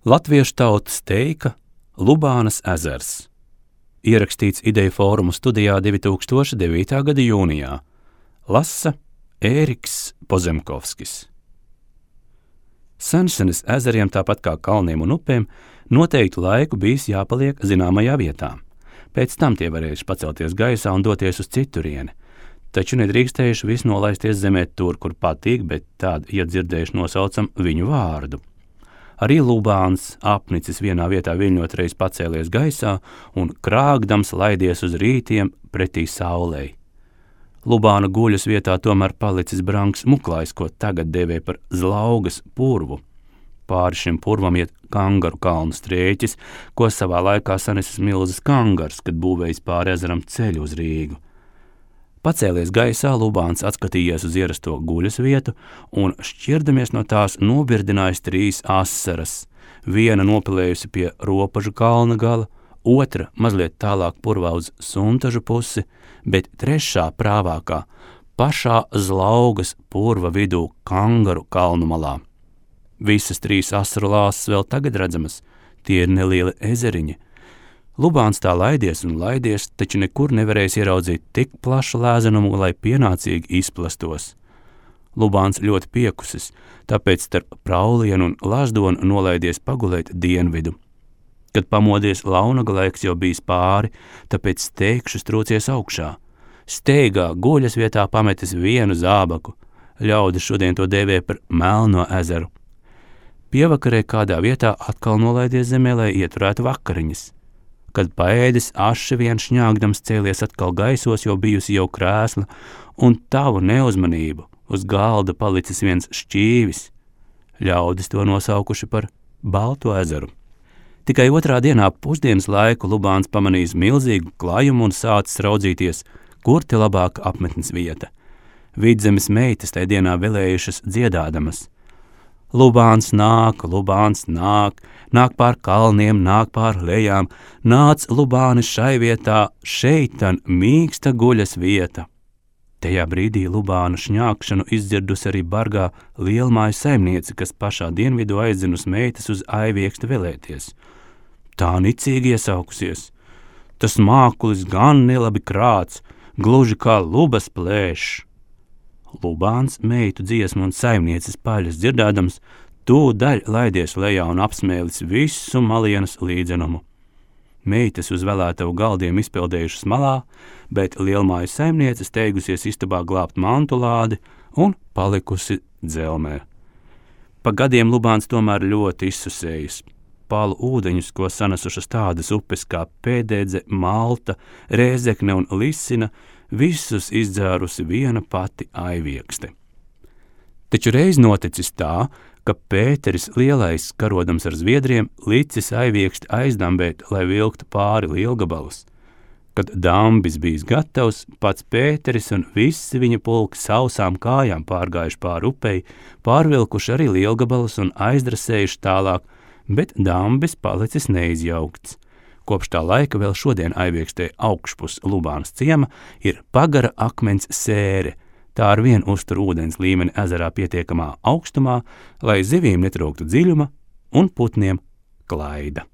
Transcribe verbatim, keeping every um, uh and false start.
Latviešu tautas teika Lubānas ezers. Ierakstīts Ideju fórumu studijā divi tūkstoši devītā gada jūnijā. Lasa Ēriks Pozemkovskis. Sensenes ezeriem, tāpat kā kalniem un upēm, noteiktu laiku bijis jāpaliek zināmajā vietā. Pēc tam tie varējuši pacelties gaisā un doties uz citurieni, taču nedrīkstējuši visu nolaisties zemē tur, kur patīk, bet tād, ja dzirdējuši nosaucam viņu vārdu. Arī Lubāns apnicis vienā vietā viļņot reiz pacēlies gaisā un krāgdams laidies uz rītiem pretī saulei. Lubāna guļas vietā tomēr palicis brangs muklājs, ko tagad dēvē par Zlaugas purvu. Pāri šim purvam iet Kangaru kalnu strēķis, ko savā laikā sanesis milzas Kangars, kad būvējis pāri ezeram ceļu uz Rīgu. Pacēlies gaisā, Lubāns atskatījies uz ierasto guļas vietu un šķirdamies no tās nobirdinājis trīs asaras. Viena nopilējusi pie Ropažu kalna gala, otra mazliet tālāk purvā uz Suntažu pusi, bet trešā prāvākā pašā Zlaugas purva vidū Kangaru kalnu malā. Visas trīs asaru lāsas vēl tagad redzamas, tie ir nelieli ezeriņi. Lubāns tā laidies un laidies, taču nekur nevarēs ieraudzīt tik plašu lēzenumu, lai pienācīgi izplastos. Lubāns ļoti piekusis, tāpēc starp Praulienu un Lazdonu nolaidies pagulēt dienvidu. Kad pamodies, launaga laiks jau bijis pāri, tāpēc steigšus trūcies augšā. Steigā guļas vietā pametis vienu zābaku. Ļaudis šodien to dēvē par Melno ezeru. Pievakarē kādā vietā atkal nolaidies zemē, lai ieturētu vakariņas. Kad paēdis, aši vien šņāgdams cēlies atkal gaisos, jo bijusi jau krēsla, un tavu neuzmanību uz galda palicis viens šķīvis. Ļaudis to nosaukuši par Balto ezeru. Tikai otrā dienā pusdienas laiku Lubāns pamanījis milzīgu klajumu un sācis raudzīties, kur te labāka apmetnes vieta. Vidzemes meitas tai dienā velējušas dziedādamas. Lubāns nāk, Lubāns nāk, nāk pār kalniem, nāk pār lejām, nāc Lubānis šai vietā, šeitan mīksta guļas vieta. Tajā brīdī Lubāna šņākšanu izdzirdus arī bargā lielmāju saimniece, kas pašā dienvidu aizzinus meitas uz aiviekstu velēties. Tā nicīgi iesaukusies. Tas mākulis gan nelabi krāts, gluži kā lubas plēšs. Lubāns meitu dziesmu un saimnieces paļas dzirdādams, tūdaļ laidies lejā un apsmēlis visu malienas līdzenumu. Meitas uz vēlētavu galdiem izpildējušas malā, bet lielmāju saimniece steigusies istabā glābt mantulādi un palikusi dzelmē. Pa gadiem Lubāns tomēr ļoti izsusējis. Palu ūdeņus, ko sanesušas tādas upes kā Pēdēdze, Malta, Rēzekne un Lisina, visus izdzērusi viena pati aiviekste. Taču reiz noticis tā, ka Pēteris lielais, karodams ar zviedriem, licis aivieksti aizdambēt, lai vilktu pāri lielgabalus. Kad dambis bijis gatavs, pats Pēteris un visi viņa pulki sausām kājām pārgājuši pāri upei, pārvilkuši arī lielgabalus un aizdrasējuši tālāk, bet dambis palicis neizjaukts. Kopš tā laika vēl šodien aiviekstē augšpus Lubānas ciema ir pagara akmens sēre. Tā ar vien uztur ūdens līmeni ezerā pietiekamā augstumā, lai zivīm netrūktu dziļuma un putniem klaida.